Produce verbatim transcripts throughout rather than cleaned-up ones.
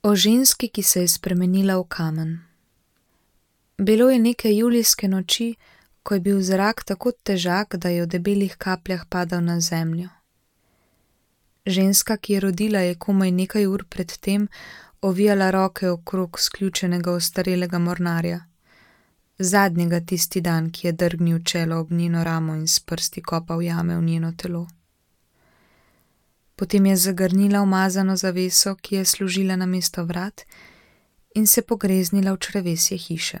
O ženski, ki se je spremenila v kamen. Bilo je neke julijske noči, ko je bil zrak tako težak, da je v debelih kapljah padal na zemljo. Ženska, ki je rodila, je komaj nekaj ur pred tem ovijala roke okrog sključenega ostarelega mornarja, zadnjega tisti dan, ki je drgnil čelo ob njeno ramo in s prsti kopal jame v njeno telo. Potem je zagrnila umazano zaveso, ki je služila namesto vrat, in se pogreznila v črevesje hiše.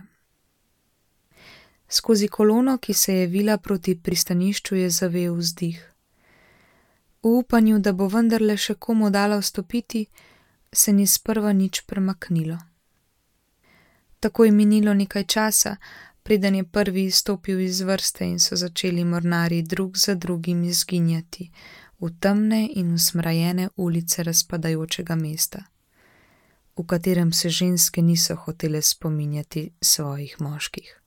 Skozi kolono, ki se je vila proti pristanišču, je zavel vzdih. V upanju, da bo vendarle še komu dala vstopiti, se ni sprva nič premaknilo. Tako je minilo nekaj časa, preden je prvi izstopil iz vrste in so začeli mornarji drug za drugim izginjati v temne in usmrajene ulice razpadajočega mesta, v katerem se ženske niso hotele spominjati svojih moških.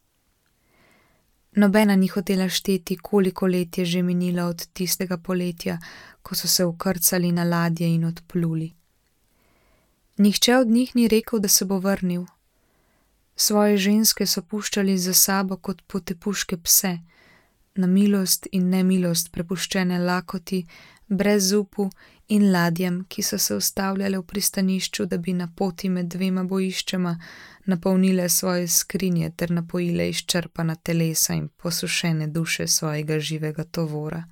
Nobena ni hotela šteti, koliko let je že minilo od tistega poletja, ko so se vkrcali na ladje in odpluli. Nihče od njih ni rekel, da se bo vrnil. Svoje ženske so puščali za sabo kot potepuške pse, na milost in nemilost prepuščene lakoti, brez upu in ladjem, ki so se ustavljale v pristanišču, da bi na poti med dvema bojiščema napolnile svoje skrinje ter napojile izčrpana telesa in posušene duše svojega živega tovora.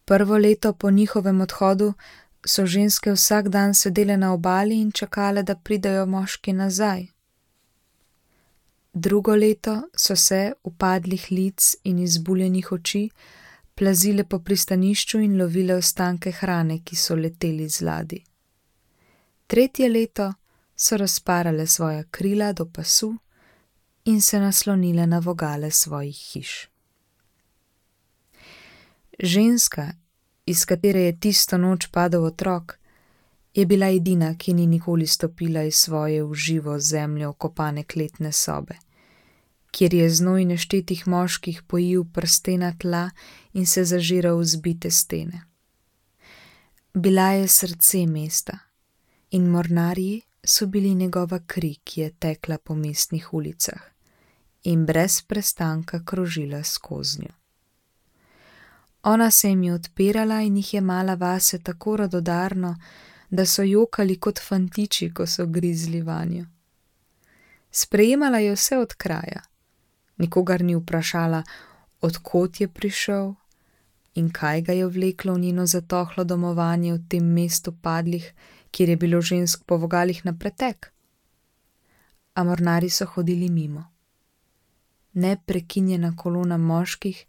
Prvo leto po njihovem odhodu so ženske vsak dan sedele na obali in čakale, da pridejo moški nazaj. Drugo leto so se, upadlih lic in izbuljenih oči, plazile po pristanišču in lovile ostanke hrane, ki so leteli z ladij. Tretje leto so razparale svoja krila do pasu in se naslonile na vogale svojih hiš. Ženska, iz katere je tisto noč padel otrok, je bila edina, ki ni nikoli stopila iz svoje v živo zemljo okopane kletne sobe, kjer je znoj neštetih moških pojil prstena tla in se zažiral v zbite stene. Bila je srce mesta in mornarji so bili njegova kri, ki je tekla po mestnih ulicah in brez prestanka krožila skoznjo. Ona se jim je odpirala in jih je mala vase tako radodarno, da so jokali kot fantiči, ko so grizli vanjo. Sprejemala je vse od kraja, nikogar ni vprašala, od kod je prišel in kaj ga je vleklo v njeno zatohlo domovanje v tem mestu padlih, kjer je bilo žensk po vogalih na pretek. A mornarji so hodili mimo. Neprekinjena kolona moških,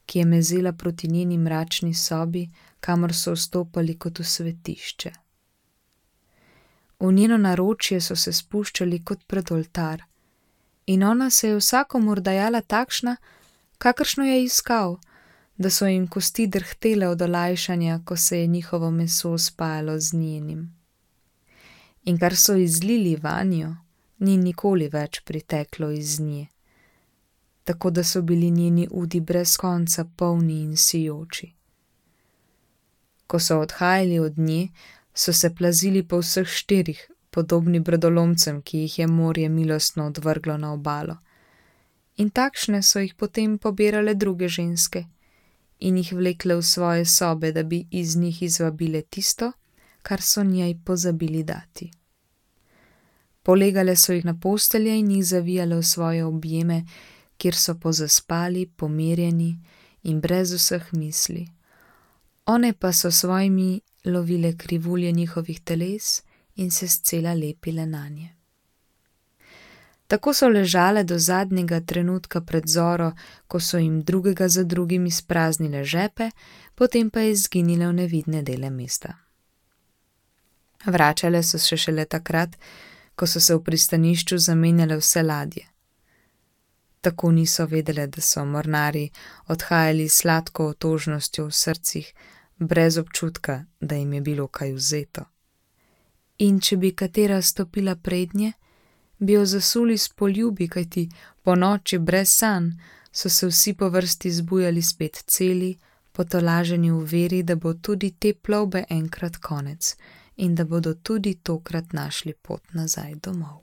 ki je mezela proti njeni mračni sobi, kamor so vstopali kot v svetišče. V njeno naročje so se spuščali kot pred oltar in ona se je vsakomur dajala takšna, kakršno je iskal, da so jim kosti drhtele od olajšanja, ko se je njihovo meso spajalo z njenim. In kar so izlili vanjo, ni nikoli več priteklo iz nje, tako da so bili njeni udi brez konca polni in sijoči. Ko so odhajali od nje, so se plazili po vseh štirih, podobni brodolomcem, ki jih je morje milostno odvrglo na obalo. In takšne so jih potem pobirale druge ženske in jih vlekle v svoje sobe, da bi iz njih izvabile tisto, kar so njej pozabili dati. Polegale so jih na postelje in jih zavijale v svoje objeme, kjer so pozaspali, pomirjeni in brez vseh misli. One pa so svojimi lovile krivulje njihovih teles in se scela lepile nanje. Tako so ležale do zadnjega trenutka pred zoro, ko so jim drugega za drugim izpraznile žepe, potem pa izginile v nevidne dele mesta. Vračale so se šele takrat, ko so se v pristanišču zamenjale vse ladje. Tako niso vedele, da so mornarji odhajali s sladko otožnostjo v srcih, brez občutka, da jim je bilo kaj vzeto. In če bi katera stopila prednje, bi jo zasuli s poljubi, kajti po noči brez sanj so se vsi po vrsti zbujali spet celi, potolaženi v veri, da bo tudi te plovbe enkrat konec in da bodo tudi tokrat našli pot nazaj domov.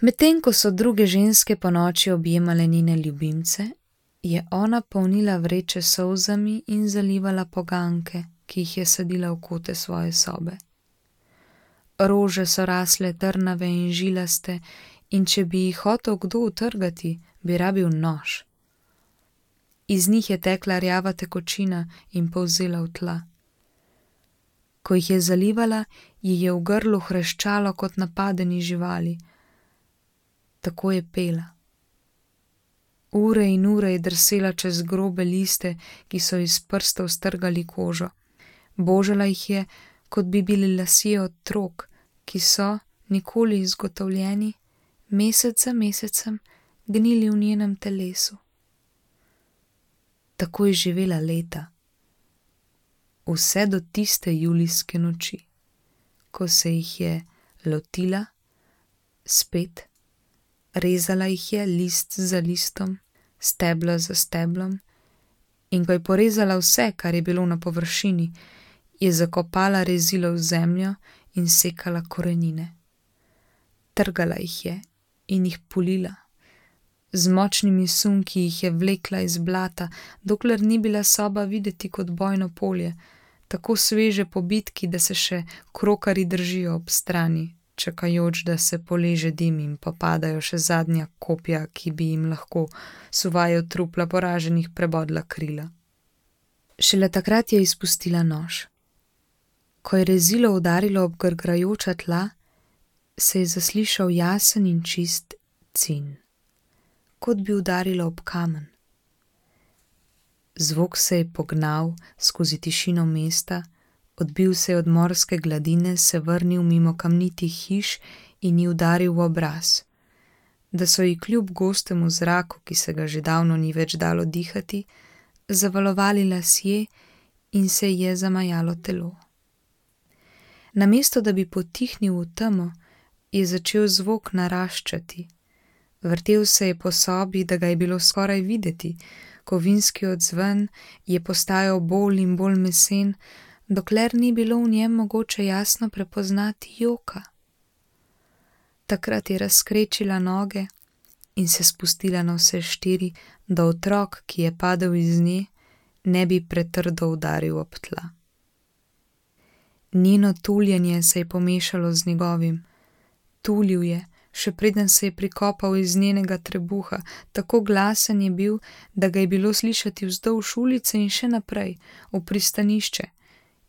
Medtem ko so druge ženske ponoči objemale njene ljubimce, je ona polnila vreče s solzami in zalivala poganke, ki jih je sadila v kote svoje sobe. Rože so rasle trnave in žilaste, in če bi jih hotel kdo utrgati, bi rabil nož. Iz njih je tekla rjava tekočina in polzela v tla. Ko jih je zalivala, ji je v grlu hreščalo kot napadeni živali. Tako je pela. Ure in ure je drsela čez grobe liste, ki so iz prstov strgali kožo. Božala jih je, kot bi bili lasje otrok, ki so, nikoli izgotovljeni, mesec za mesecem gnili v njenem telesu. Tako je živela leta. Vse do tiste julijske noči, ko se jih je lotila, spet, rezala jih je list za listom, steblo za steblom, in ko je porezala vse, kar je bilo na površini, je zakopala rezilo v zemljo in sekala korenine. Trgala jih je in jih pulila. Z močnimi sunki jih je vlekla iz blata, dokler ni bila soba videti kot bojno polje, tako sveže po bitki, da se še krokari držijo ob strani, čakajoč, da se poleže dim in popadajo še zadnja kopja, ki bi jim lahko suvajo trupla poraženih prebodla krila. Šele takrat je izpustila nož. Ko je rezilo udarilo ob grgrajoča tla, se je zaslišal jasen in čist cin, kot bi udarilo ob kamen. Zvok se je pognal skozi tišino mesta, odbil se je od morske gladine, se vrnil mimo kamnitih hiš in ji udaril v obraz, da so ji kljub gostemu zraku, ki se ga že davno ni več dalo dihati, zavalovali lasje in se ji je zamajalo telo. Namesto da bi potihnil v temo, je začel zvok naraščati. Vrtel se je po sobi, da ga je bilo skoraj videti, kovinski odzven je postajal bolj in bolj mesen, dokler ni bilo v njem mogoče jasno prepoznati joka. Takrat je razkrečila noge in se spustila na vse štiri, da otrok, ki je padel iz nje, ne bi pretrdo udaril ob tla. Njeno tuljenje se je pomešalo z njegovim. Tulil je, še preden se je prikopal iz njenega trebuha, tako glasen je bil, da ga je bilo slišati vzdolž ulice in še naprej, v pristanišče,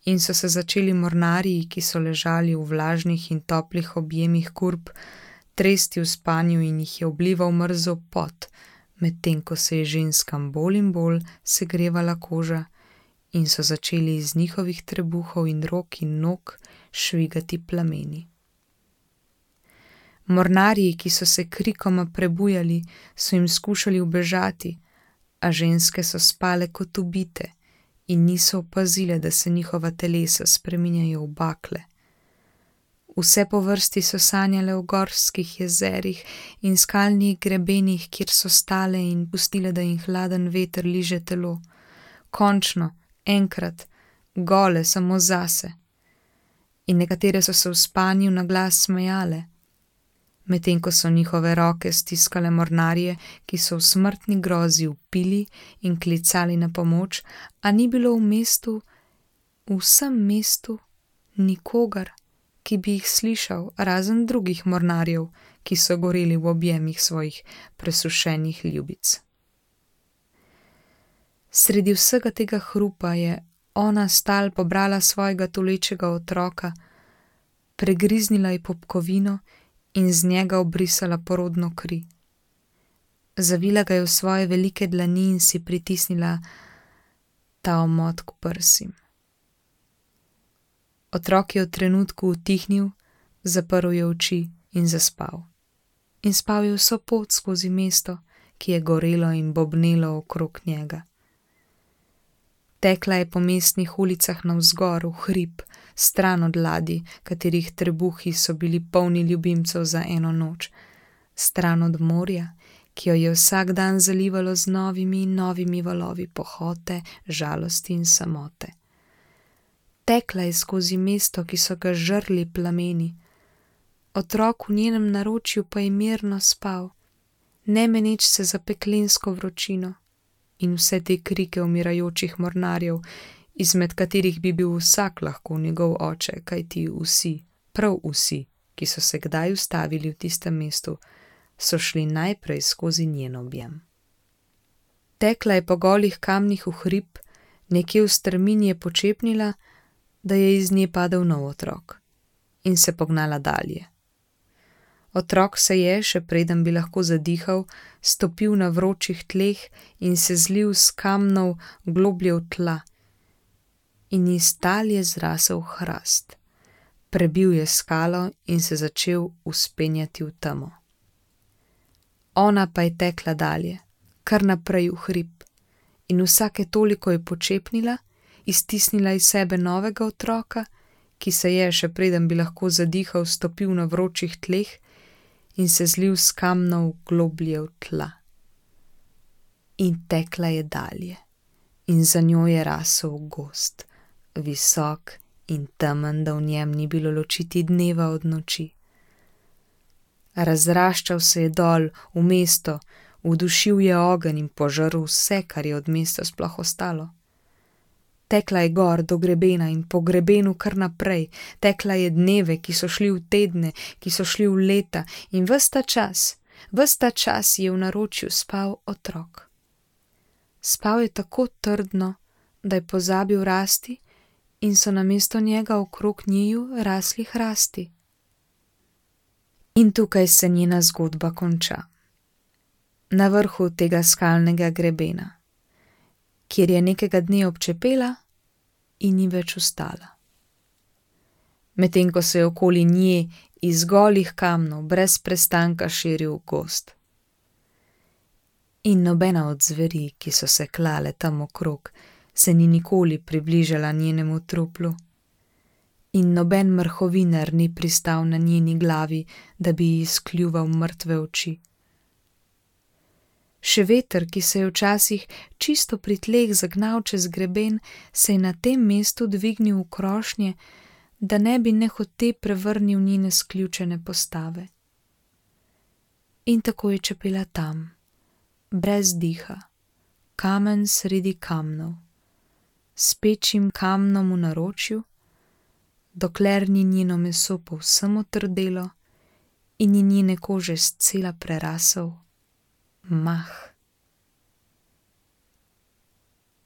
in so se začeli mornarji, ki so ležali v vlažnih in toplih objemih kurb, tresti v spanju in jih je oblival mrzel pot, medtem ko se je ženskam bolj in bolj segrevala koža in so začeli iz njihovih trebuhov in rok in nog švigati plameni. Mornarji, ki so se krikoma prebujali, so jim skušali ubežati, a ženske so spale kot ubite in niso opazile, da se njihova telesa spreminjajo v bakle. Vse po vrsti so sanjale o gorskih jezerih in skalnih grebenih, kjer so stale in pustile, da jim hladen veter liže telo. Končno, enkrat, gole samo zase. In nekatere so se v spanju na glas smejale, medtem ko so njihove roke stiskale mornarje, ki so v smrtni grozi vpili in klicali na pomoč, a ni bilo v mestu, v vsem mestu, nikogar, ki bi jih slišal, razen drugih mornarjev, ki so goreli v objemih svojih presušenih ljubic. Sredi vsega tega hrupa je ona stal pobrala svojega tulečega otroka, pregriznila je popkovino in z njega obrisala porodno kri. Zavila ga je v svoje velike dlani in si pritisnila ta omot k prsim. Otrok je v trenutku utihnil, zaprl je oči in zaspal. In spal je vso pot skozi mesto, ki je gorelo in bobnelo okrog njega. Tekla je po mestnih ulicah navzgor v hrib, stran od ladij, katerih trebuhi so bili polni ljubimcev za eno noč, stran od morja, ki jo je vsak dan zalivalo z novimi in novimi valovi pohote, žalosti in samote. Tekla je skozi mesto, ki so ga žrli plameni. Otrok v njenem naročju pa je mirno spal, ne meneč se za peklensko vročino in vse te krike umirajočih mornarjev, izmed katerih bi bil vsak lahko njegov oče, kajti vsi, prav vsi, ki so se kdaj ustavili v tistem mestu, so šli najprej skozi njen objem. Tekla je po golih kamnih v hrib, nekje v strmini je počepnila, da je iz nje padel nov otrok, in se pognala dalje. Otrok se je, še preden bi lahko zadihal, stopil na vročih tleh in se zlil s kamnov globlje v tla. In iz tal je zrasel hrast. Prebil je skalo in se začel vzpenjati v temo. Ona pa je tekla dalje, kar naprej v hrib, in vsake toliko je počepnila, iztisnila iz sebe novega otroka, ki se je, še preden bi lahko zadihal, stopil na vročih tleh in se zlil s kamnov globlje v tla. In tekla je dalje, in za njo je rasel gozd, visok in temen, da v njem ni bilo ločiti dneva od noči. Razraščal se je dol v mesto, udušil je ogenj in požrl vse, kar je od mesta sploh ostalo. Tekla je gor do grebena in po grebenu kar naprej, tekla je dneve, ki so šli v tedne, ki so šli v leta, in ves ta čas, ves ta čas je v naročju spal otrok. Spal je tako trdno, da je pozabil rasti in so namesto njega okrog njiju rasli hrasti. In tukaj se njena zgodba konča. Na vrhu tega skalnega grebena, kjer je nekega dne občepela in ni več vstala. Medtem ko se je okoli nje iz golih kamnov brez prestanka širil gozd. In nobena od zveri, ki so se klale tam okrog, se ni nikoli približala njenemu truplu. In noben mrhovinar ni pristal na njeni glavi, da bi ji izkljuval mrtve oči. Še veter, ki se je včasih čisto pri tleh zagnal čez greben, se je na tem mestu dvignil v krošnje, da ne bi nehote prevrnil njene sključene postave. In tako je čepela tam, brez diha, kamen sredi kamnov, s pečim kamnom v naročju, dokler ni njeno meso povsem otrdelo in ni njene kože scela prerasel mah.